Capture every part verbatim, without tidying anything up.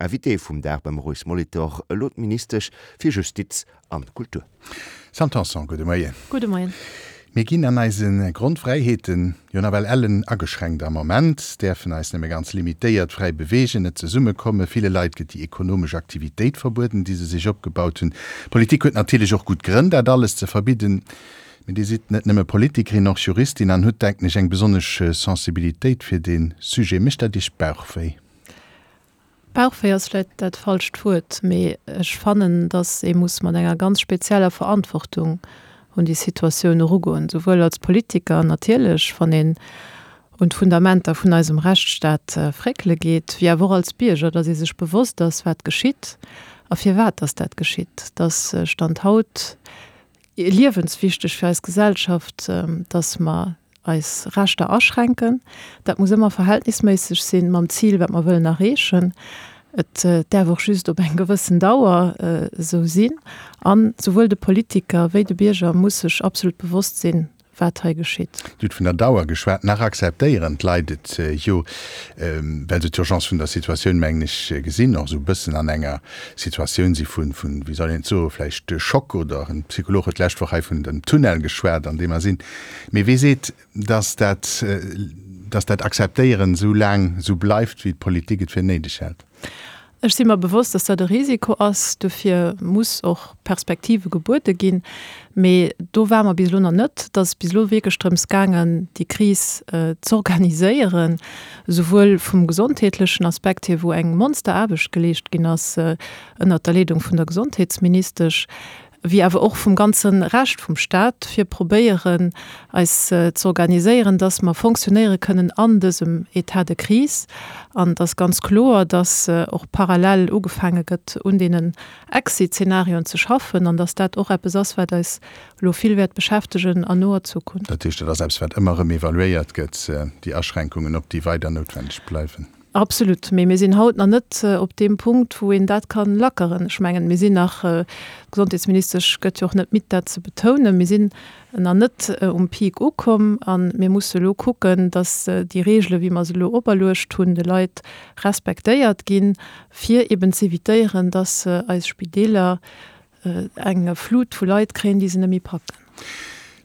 Invité vum Dag beim Maurice Molitor elo d'Ministesch fir Justiz an Kultur. Sam Tanson, gudde Moien. Gudde Moien. Mir ginn an eise Grondfräiheeten jo nawell ellen ageschränkt am Moment, däerfen eis nëmme ganz limitéiert fräi beweegen, net zesummekommen. Ville Leit gëtt déi ekonomesch Aktivitéit verbueden, déi se sech opgebaut hunn. D'Politik huet natierlech och gutt Grënn, dat alles ze verbidden. Mee Dir sidd net nëmme Politikerin, och Juristin an hutt, denken ech, eng besonnesch Sensibilitéit fir dee Sujet. Mécht dat Iech Bauchwéi? Bauchwéi ass vläicht dat falscht Wuert, mee ech fannen, datt ee muss mat enger ganz spezieller Verantwortung un déi Situatioun erugoen, souwuel als Politiker natierlech, wann een un d'Fundamenter vun eisem Rechtsstaat fréckele geet, wéi awer och als Bierger, datt ee sech bewosst ass, wat geschitt a firwat datt dat geschitt. Et ass Stand haut liewenswichteg fir eis Gesellschaft, datt mer eis Rechter aschränken. Dat muss ëmmer verhältnisméisseg sinn mam Zil, wat mer wëllen erreechen. Et däerf och just op eng gewëssen Dauer esou sinn. A souwuel de Politiker wéi de Bierger muss sech absolut bewosst sinn, wat hei geschitt. Dir hutt vun der Dauer geschwat. Nach akzeptéieren d'Leit et jo, well se d'Urgence vun der Situatioun, mengen ech, gesinn, och esou e bëssen an enger Situatioun si vun, wéi soll een et soen, vläicht Schock oder en Psycholog huet d'lescht Woch hei vun dem Tunnel geschwat, an deem mer sinn. Mee wee seet, dass dat, dass dat Akzeptéieren esou laang esou bleift, wéi d'Politik et fir néideg hält? Ech si mer bewosst, dass dat e Risiko ass. Dofir muss och Perspektive gebuede ginn. Mee do ware mer bis elo nach net. Et ass bis elo wierklech drëms gaangen, déi Kris z'organiséieren, souwuel vum gesondheetlechen Aspekt hier, wou eng Monsteraarbecht geleescht ginn ass ënnert der Leedung vun der Gesondheetsministesch, wéi awer och vum ganze Rescht vum Stat, fir probéieren, eis z'organiséieren, dass mer fonctionnéiere kënnen an dësem État de crise. An et ass ganz kloer, dass och parallel ugefaange gëtt, un deenen Exit-Zeenarioen ze schaffen an dass dat och eppes ass, wat eis elo vill wäert beschäftegen an noer Zukunft. Dat heescht, dat ass eppes, wat ëmmer erëm evaluéiert gëtt, déi Aschränkungen, ob déi weider noutwendeg bleiwen? Absolut. Mee mir sinn haut nach net op deem Punkt, wou een dat ka lackeren. Ech mengen, mir sinn nach, d'Gesondheetsministesch gëtt jo och net midd, dat ze betounen, mir sinn nach net um Peak ukomm a mir musse elo kucken, datt déi Reegele wéi mer se elo operluecht hunn, de Leit respektéiert ginn, fir eben z'évitéieren, datt eis Spideeler eng Flut vu Leit kréien, déi se net méi packen.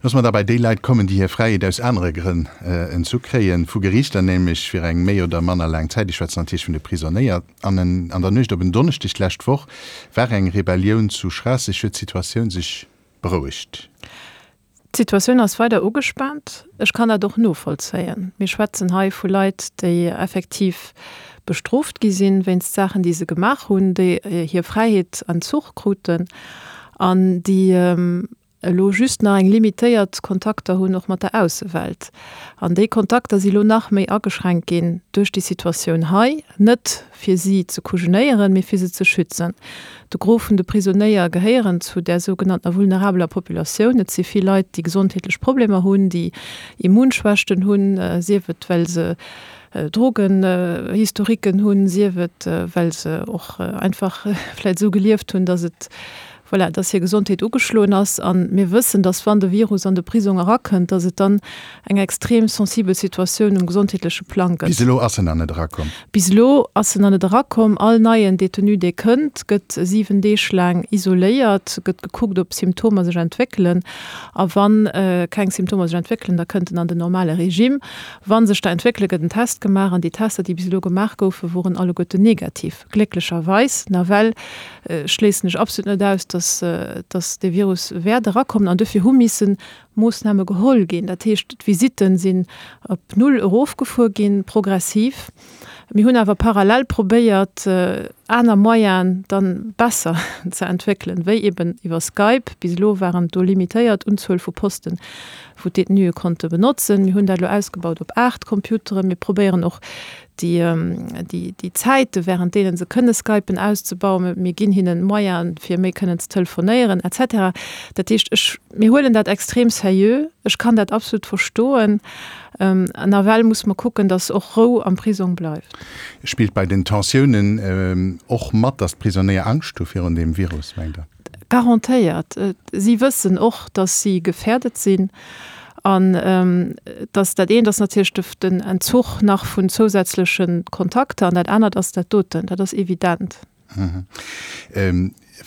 Loosse mer da bei déi Leit kommen, déi hir Fräiheet aus anere Grënn entzu kréien, vu Geriichter nämlech fir eng méi oder manner laang Zäit. Ech schwätzen natierlech vun de Prisonéier. An an der Nuecht op en Donneschdeg d'lescht Woch war eng Rebellioun zu Schraasseg. Huet d'Situatioun sech berouegt? D'Situatioun ass weider ugespaant. Ech kann dat och novollzéien. Mir schwätzen hei vu Leit, déi effektiv bestrooft gi sinn wéinst Saachen, déi se gemaach hunn, déi hir Fräiheet entzuch kruten an déi elo just nach eng limitéiert Kontakter hunn, och mat der Aussewelt. An déi Kontakter si lo nach méi ageschränkt ginn duerch déi Situatioun hei, net fir si ze kujenéieren, mee fir se ze schützen. De Gros vun de Prisonéier gehéieren zu där sougenanntener vulnerabeler Populatioun. Et si vill Leit, déi gesondheetlech Problemer hunn, déi Immunschwächten hunn, sief et well se Drogenhistoriquen hunn, sief et well se och einfach vläicht esou gelieft hunn, datt et voilà, dass hir Gesondheet ugeschloen ass. A mir wëssen, dass wann de Virus an de Prisong erakënnt, dass et dann eng extrem sensibel Situatioun um gesondheetleche Plang gëtt. Bis elo ass en nach net erakomm. Bis elo ass en nach net erakomm. All neien Detenu, dee kënnt, gëtt siwen Deeg laang isoléiert, gëtt gekuckt, ob Symptomer sech entwéckelen. A wa keng Symptomer sech entwéckelen, da kënnt en an den normale Regime. Wa sech der entwéckelen, gëtt en Test gemaach. An déi Tester, déi bis elo gemaach goufen, woren alleguerten negativ, glécklecherweis. Nawell schléissen ech absolut net aus, dass, dass dee Virus wäert erakommen an dofir hu misse Moossname geholl ginn. Dat heescht, d'Visitten sinn op null erofgefuer ginn, progressiv. Mir hunn awer parallel probéiert, aner Moyenen dann besser ze entwéckelen, wéi eben iwwer Skype. Bis elo waren do limitéiert Unzuel vu Posten, wou d'Detenuë konnte benotzen. Mir hunn dat elo ausgebaut op aacht Computeren. Mir probéieren och déi, déi, déi Zäite während deene se kënne skypen auszebauen. Mir ginn hinnen Moyenen, fir méi kënnen ze telefonéieren et cetera. Dat heescht, ech, mir huelen dat extrem seriö. Ech kann dat absolut verstoen. Nawell muss mer kucken, dass och Rou am Prisong bleift. Spillt bei den Tensiounen och mat, dass d'Prisonéier Angscht hu virun deem Virus, mengt Der? Garantéiert. Si wëssen och, dass si gefährdet sinn. An dass dat eent ass natierlech de, den Entzuch nach vun zousätzleche Kontakter an dat anert ass dat doten. Dat ass evident.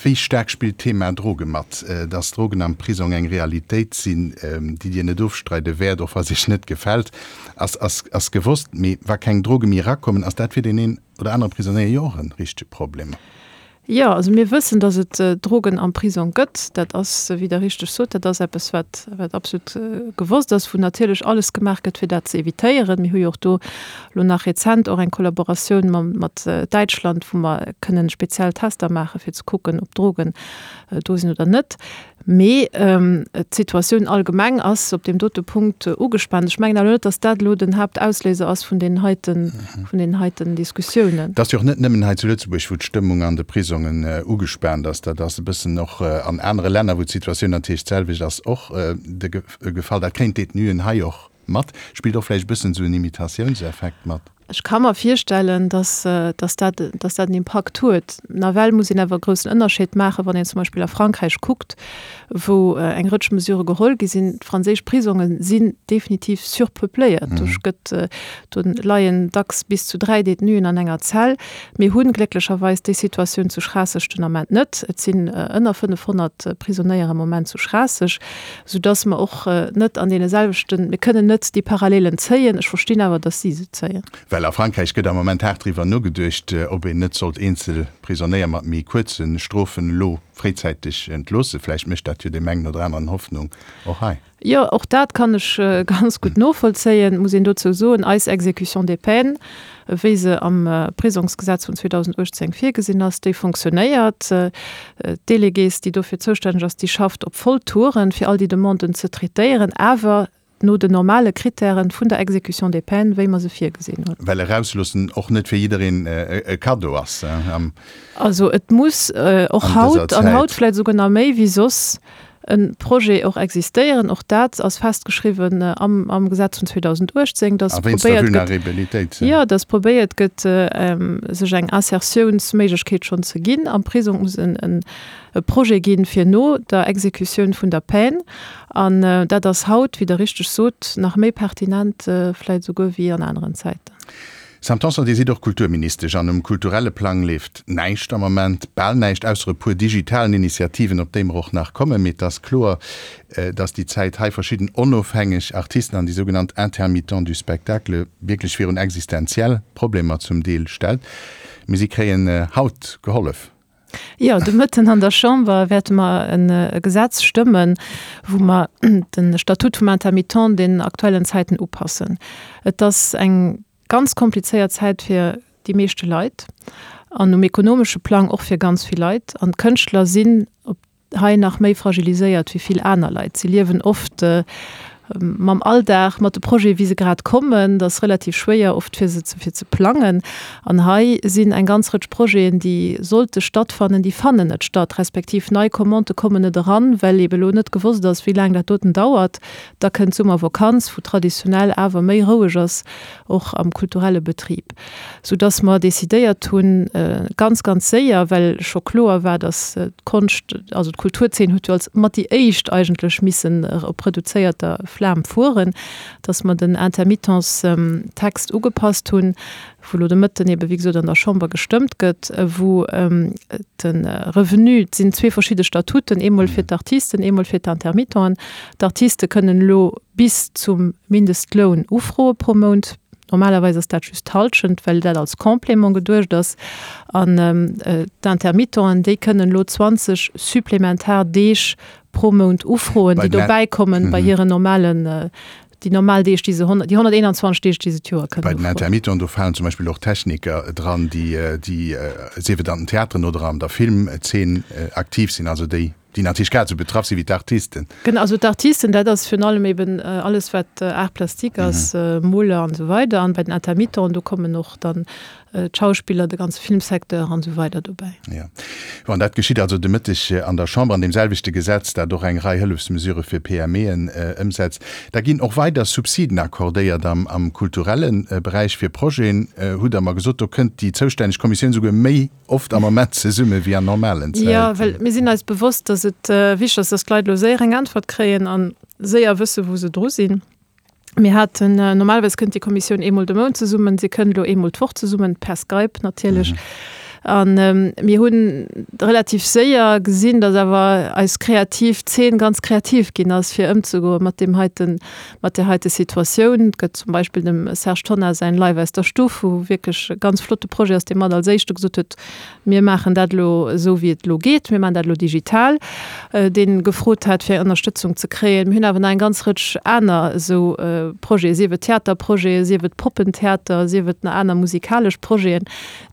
Wéi staark spillt d'Thema Droge mat? Dass Drogen am Prisong eng Realitéit sinn, déi Dir net ofstreide wäert, och wa se Iech net gefält, ass, ass, ass gewosst. Mee wa keng Droge méi erakommen, ass dat fir deen een oder anere Prisonéier jo och e richtege Problem. Jo, also mir wëssen, dass et Drogen am Prisong gëtt. Dat ass, wéi Der richteg sot, dat ass eppes, wat, wat absolut gewosst ass, wou natierlech alles gemaach gëtt, fir dat ze evitéieren. Mir hu jo och do elo nach rezent och eng Kollaboratioun mam, mat Däitschland, wou mer kënnen speziell Tester maachen, fir ze kucken, ob Drogen do sinn oder net. Mee d'Situatioun allgemeng ass op deem dote Punkt ugespaant. Ech mengen awer net, datt dat elo den Haaptausléiser ass vun deenen heiten, vun deenen heiten Diskussiounen. Et ass jo och net nëmmen hei zu Lëtzebuerg, wou d'Stëmmung an de Prisongen ugespaant ass. Dat ass e bëssen och an anere Länner, wou d'Situatioun natierlech d'selwecht ass, och de Gefall. Dat kréien d'Detenuen hei och mat. Spillt och vläicht e bëssen esou en Imitatiounseffekt mat. Ech ka mer virstellen, dass, dass dat, dass dat en Impakt huet. Nawell muss een awer e groussen Ënnerscheed maachen, wann een zum Beispill a Frankräich kuckt, wou eng Rëtsch Mesurë geholl gi sinn. D'franséisch Prisonge sinn definitiv surpeupléiert. Do gëtt, do leien dacks bis zu dräi Détenuen an enger Zell. Mir hunn glécklecherweis déi Situatioun zu Schraasseg den Ament net. Et sinn ënner fënnefhonnert Prisonéier am Moment zu Schraasseg, soudass mer och net an deene selwechten, mir kënnen net déi Parallelen zéien. Ech verstinn awer, dass si se zéien. Well a Frankräich gëtt am Moment haart driwwer nogeduecht, ob een net sollt eenzel Prisonéier mat méi kuerze Strofen elo fréizäiteg entloossen. Vläicht mécht dat jo deem engen oder aneren Hoffnung och hei. Jo, och dat kann ech ganz gutt novollzéien. Muss een dozou soen, eis Exécution des peines, wéi se am Prisongsgesetz vun zweedausenduechtzéng virgesinn ass, déi fonctionnéiert. D'Délégués, déi dofir zoustänneg ass, déi schafft op Volltouren, fir all déi Demanden ze traitéieren, awer no den normale Kritären vun der Exécution des peines, wéi mer se virgesinn hunn. Well erausloossen och net fir jiddereen e Kaddo ass am. Also et muss och haut, an haut vläicht esouguer nach méi wéi soss, e Projet och existéieren. Och dat ass festgeschriwwen am, am Gesetz vun zweedausenduechtzéng, dass probéiert gëtt, jo, dass probéiert gëtt, sech eng Insertiounsméiglechkeet schonn ze ginn. Am Prisong muss en, en e Projet ginn, fir no der Exekutioun vun der Peine. An dat ass haut, wéi Der richteg sot, nach méi pertinent vläicht esouguer wéi an aneren Zäiten. Sam Tanson, Dir sidd och Kulturministesch an um kulturelle Plang leeft näischt am Moment, bal näischt, ausser e puer digitalen Initiativen, op déi mer och nach kommen. Mee et ass kloer, datt déi Zäit hei verschidden onofhängeg Artisten an déi sougenannt Intermittents du spectacle wierklech virun existenziell Problemer zum Deel stellt. Mee si kréien haut gehollef. Jo, de Mëtten an der Chamber wäerte mer e Gesetz stëmmen, wou mer de Statut vum Intermittent den aktuellen Zäiten upassen. Et ass eng ganz komplizéiert Zäit fir déi meeschte Leit an um ekonomesche Plang och fir ganz vill Leit. An d'Kënschtler sinn op hei nach méi fragiliséiert wéi vill aner Leit. Si liewen oft mam Alldag, mat de Projete wéi se grad kommen. Dat ass relativ schwéier oft fir se fir ze plangen. An hei sinn eng ganz Rëtsch Projeten, déi sollte stattfannen, déi fannen net statt, respektiv nei Commandë kommen net eran, well eebe elo net gewosst ass, wéi laang dat doten dauert. Da kënnt d'Summervakanz, wou traditionell awer méi roueg ass, och am kulturelle Betrib. Soudass mer decidéiert hunn, ganz, ganz séier, well scho kloer war, dass d'Konscht, also d'Kulturzeen huet jo als mat déi éischt eigentlech missen op reduzéierter Flam fueren, dass mer den Intermittenstext ugepasst hunn, wou elo de Mëtten ebe wéi gesot an der Chamber gestëmmt gëtt, wou de Revenu, et sinn zwee verschidde Statuten, eemol fir d'Artisten, eemol fir d'Intermittenten. D'Artiste kënnen elo bis zum Mindestloun ufroe pro Mount. Normalerweis ass dat just d'Hallschent, well dat als Complément geduecht ass. An d'Intermittenten, déi kënnen elo zwanzeg supplementar Deeg pro Mount ufroen, déi dobäi kommen bei hiren normalen, déi normal Deeg, déi se, déi honnerteenanzwanzeg Deeg, déi se d'Joer kënnen ufroen. Bei den Intermittenten, do falen zum Beispill och Techniker dran, déi, déi, sief et an den Theateren oder an der Filmzeen aktiv sinn, also déi, déi natierlech grad esou betraff si wéi d'Artisten. Genau, also d'Artisten, dat ass virun allem eben alles, wat Art plastique ass, Moler an esou weider. An bei den Intermittenten, do kommen och dann d'Schauspiller, de ganze Filmsecteur an esou weider dobäi. Jo. Bon, dat geschitt also de Mëtteg an der Chamber an deem selwechte Gesetz, dat och eng Rei Hëllefsmesurë fir P M Eën ëmsetzt. Da ginn och weider Subsiden accordéiert am, am kulturelle Beräich fir Projeten, hutt Der mer gesot. Do kënnt déi zoustänneg Kommissioun souguer méi oft am Moment zesumme wéi an normalen Zäiten. Jo, well mir sinn eis bewosst, dass et wichteg ass, dass d'Leit elo séier eng Äntwert kréien. An séier wësse wou se dru sinn. Mir haten, normalerweis kënnt déi Kommissioun eemol de Mount zesummen, se kënnt elo eemol d'Woch zesummen, per Skype natierlech. An mir hunn relativ séier gesinn, datt awer eis kreativ Zeen ganz kreativ ginn ass, fir ëmzegoe mat deem heiten, mat där heite Situatioun. Et gëtt zum Beispill dem Serge Tonnar säin Live aus der Stuff, wou wierklech e ganz flotte Projet ass, dee mat als éischte gesot huet, Mir maachen dat elo esou, wéi et elo geet, mir maachen dat elo digital, dee gefrot hat, fir Ënnerstëtzung ze kréien. Mir hunn awer nach eng ganz Rëtsch aner esou Projeten, sief et Theaterprojeten, sief et Poppentheater, sief et nach aner musikalesch Projeten,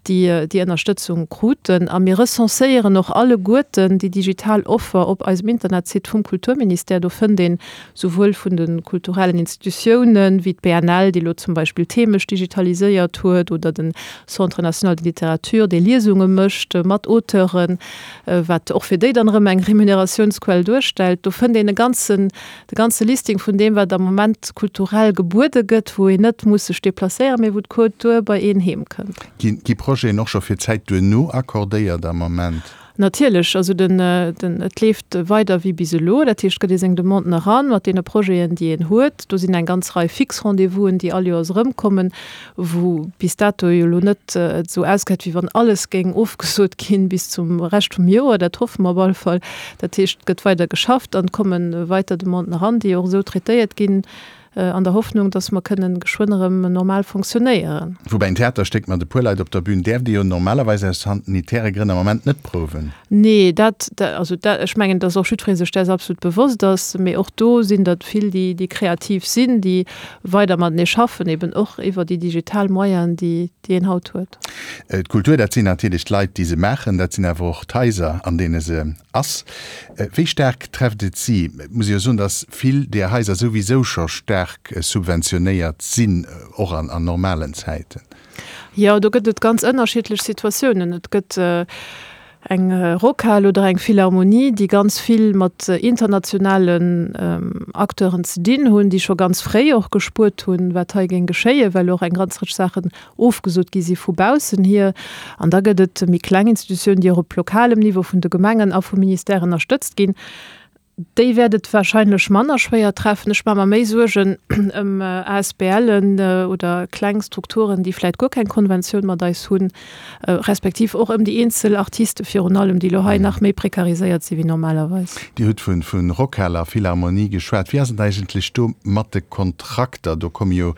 déi déi Ënnerstëtzung kruten. A mir recenséieren och alleguerten déi digital Offer op eisem Internetsite vum Kulturministère. Do fënnt een souwuel vun de kulturellen Institutiounen, wéi d'BNL, déi elo zum Beispill themesch digitaliséiert huet, oder den Centre national de littérature, dee Liesunge mécht mat Auteuren, wat och fir déi dann erëm eng Remuneratiounsquell duerstellt. Do fënnt een e ganzen, de ganze Listing vun deem, wat am Moment kulturell gebuede gëtt, wou een net muss sech deplacéieren, mee wou d'Kultur bei een heem kënnt. Ginn gi Projeten och scho fir d'Zäit duerno accordéiert am Moment? Natierlech, also den, den, et leeft weider wéi bis elo. Dat heescht, et gëtt ee seng Demanden eran mat deene Projeten, déi een huet. Do sinn eng ganz Rei fix Rendez-vousen, déi all Joers erëmkommen, wou bis dato jo elo net et esou ausgesäit, wéi wann alles géing ofgesot ginn bis zum Rescht vum Joer. Dat hoffe mer op alle Fall. Dat heescht, et gëtt weider geschafft an et komme weiter Demanden eran, déi och esou traitéiert ginn. An der Hoffnung, dass mer kënnen geschwënn erëm normal fonctionnéieren. Woubäi en Theaterstéck mat e puer Leit op der Bühn däerft ee jo normalerweis aus sanitäre Grënn am Moment net prouwen. Nee, dat, also dat, ech mengen, dass och jiddweree sech däers absolut bewosst ass. Mee och do sinn der vill, déi, déi kreativ sinn, déi weider matenee schaffen, eben och iwwer déi digital Moyenen, déi, déi een haut huet. D'Kultur, dat sinn natierlech d'Leit, déi se maachen, dat sinn awer och d'Haiser, an deene se ass. Wéi staark trefft et si? Et muss ee jo soen, datt vill där Haiser souwisou scho staark subventionéiert sinn, och an normalen Zäiten. Jo, do gëtt et ganz ënnerschiddlech Situatiounen. Et gëtt eng Rockhal oder eng Philharmonie, déi ganz vill mat internationalen Acteuren ze dinn hunn, déi scho ganz fréi och gespuert hunn, wat hei géing geschéien, well och eng ganz Rëtsch Saachen ofgesot gi si vu baussen hier. An da gëtt et méi kleng Institutiounen, déi och op lokalem Niveau vun de Gemengen a vum Ministère ënnerstëtzt ginn. Déi wäert et wahrscheinlech manner schwéier treffen. Ech maache mer méi Suergen ëm ASBLen oder kleng Strukturen, déi vläicht guer keng Konventioun mat eis hunn, respektiv och ëm déi eenzel Artiste virun allem, déi elo hei nach méi prekariséiert si wéi normalerweis. Dir hutt vu Rockhal a Philharmonie geschwat. Wéi ass et eigentlech do mat de Kontrakter? Do komme jo,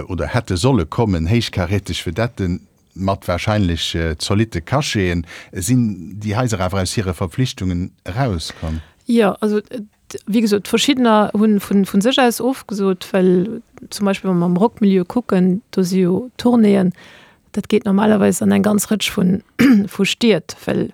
oder hätte solle kommen, héichkaräteg Vedetten mat wahrscheinlech zolitte Cacheten. Sinn déi Haiser awer aus hire Verpflichtungen erauskomm? Jo, also wéi gesot, verschiddener hu vu sech aus ofgesot, well zum Beispill wa mer am Rockmilieu kucken, do si jo Tournéeën, dat geet normalerweis an eng ganz Rëtsch vu Stied, well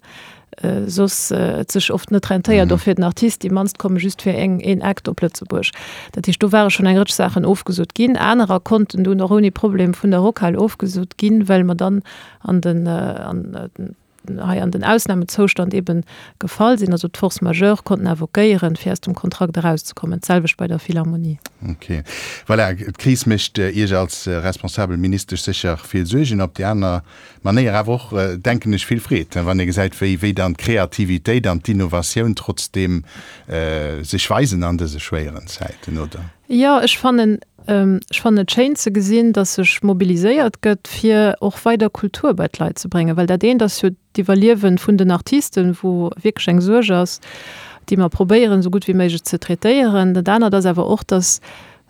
soss et sech oft net rentéiert, och fir den Artist. Déi mannst komme just fir eng een Act op Lëtzebuerg. Dat heescht, do ware schonn eng Rëtsch Saachen ofgesot ginn. Anerer konnten dunn och ouni Problem vun der Rockhal ofgesot ginn, well mer dann an den an hei an den Ausnamezoustand eben gefall sinn, also d'Force majeure konnten invoquéieren, fir aus dem Kontrakt erauszekommen. D'selwecht bei der Philharmonie. Ok. Voilà, d'Kris mécht Iech als responsabel Ministesch sécher vill Suergen, op déi aner Manéier awer och, denken ech, vill Freed, wann ee gesäit, wéi wéi dann d'Kreativitéit an d'Innovatioun trotzdeem sech weisen an dëse schwéieren Zäiten, oder? Jo, ech fannen, ech fannen et schéin ze gesinn, datt sech mobiliséiert gëtt, fir och weider Kultur bei d'Leit ze bréngen. Well dat eent ass jo d'Iwwerliewe vun den Artisten, wou wierklech eng Suerg ass, déi mer probéieren, esou gutt wéi méiglech ze traitéieren. Dat anert ass awer och, datt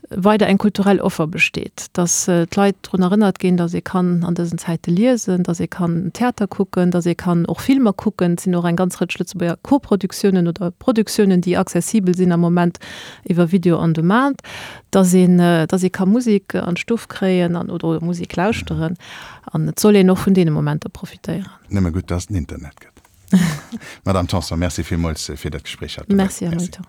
weider eng kulturell Offer besteet, datt d'Leit drun erënnert ginn, datt ee kann an dësen Zäite liesen, datt ee kann Theater kucken, datt ee kann och Filmer kucken. Et sinn och eng ganz Rëtsch Lëtzebuerger Koproduktiounen oder Produktiounen, déi accessibel sinn am Moment iwwer Video on demand, datt een, datt ee ka Musek an d'Stuff kréien an oder Musek lauschteren. An et soll een och vun deene Momenter profitéieren. Nëmme gutt, datt et den Internet gëtt. Madame Tanson, Merci villmools fir dat Gespréich haut de Moien. Merci, Här Molitor.